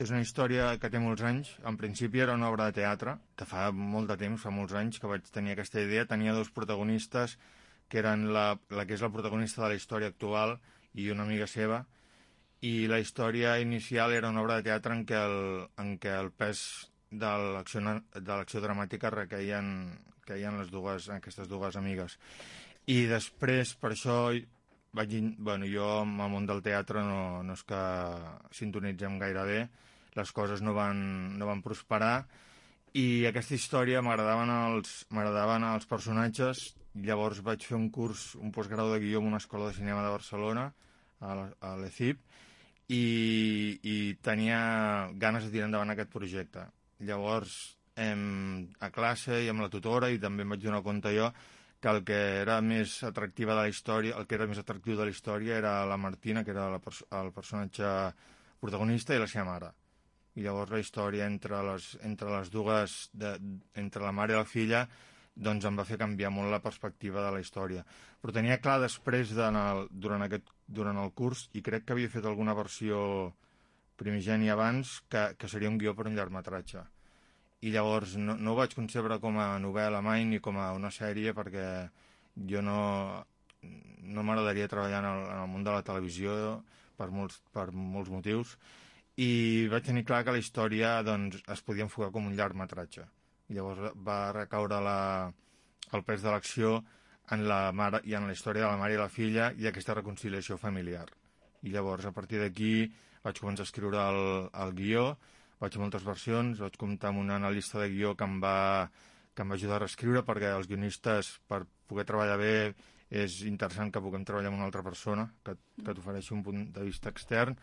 És una història que té molts anys. En principi era una obra de teatre, que fa molt de temps, fa molts anys que vaig tenir aquesta idea. Tenia dos protagonistes, que eren la que és la protagonista de la història actual i una amiga seva, i la història inicial era una obra de teatre en què el pes de l'acció dramàtica queien aquestes dues amigues. I després, per això, jo amb el món del teatre no és que sintonitzem gaire bé, les coses no van prosperar, i aquesta història m'agradaven els personatges. Llavors vaig fer un postgrau de guió en una escola de cinema de Barcelona, a l'ECIP, i tenia ganes de tirar endavant aquest projecte. Llavors, a classe i amb la tutora, i també em vaig donar compte jo que el que era més atractiu de la història era la Martina, que era el personatge protagonista, i la seva mare. I llavors la història entre les dues, entre la mare i la filla, doncs em va fer canviar molt la perspectiva de la història. Però tenia clar després, durant el curs, i crec que havia fet alguna versió primigènia abans, que seria un guió per un llargmetratge. I llavors no ho vaig concebre com a novel·la mai ni com a una sèrie, perquè jo no m'agradaria treballar en el món de la televisió per molts motius, i vaig tenir clar que la història es podia enfocar com un llargmetratge. I llavors va recaure el pes de l'acció en la mare i en la història de la mare i la filla i aquesta reconciliació familiar. I llavors, a partir d'aquí, vaig començar a escriure el guió. Vaig fer moltes versions, vaig comptar amb un analista de guió que em va ajudar a reescriure, perquè els guionistes, per poder treballar bé, és interessant que puguem treballar amb una altra persona que t'ofereixi un punt de vista extern.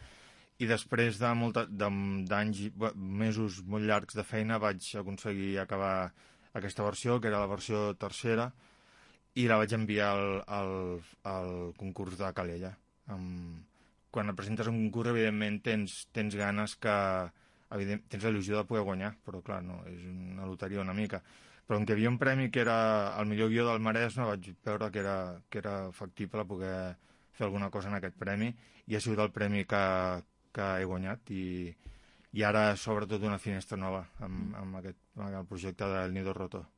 I després d'anys, mesos molt llargs de feina, vaig aconseguir acabar aquesta versió, que era la versió tercera, i la vaig enviar al concurs de Calella. Quan et presentes a un concurs, evidentment, tens ganes tens la il·lusió de poder guanyar, però clar, no, és una loteria una mica. Però on hi havia un premi que era el millor guió del Maresme, vaig veure que era factible poder fer alguna cosa en aquest premi, i ha sigut el premi que he guanyat, i ara s'obre tota una finestra nova amb el projecte del Nido Roto.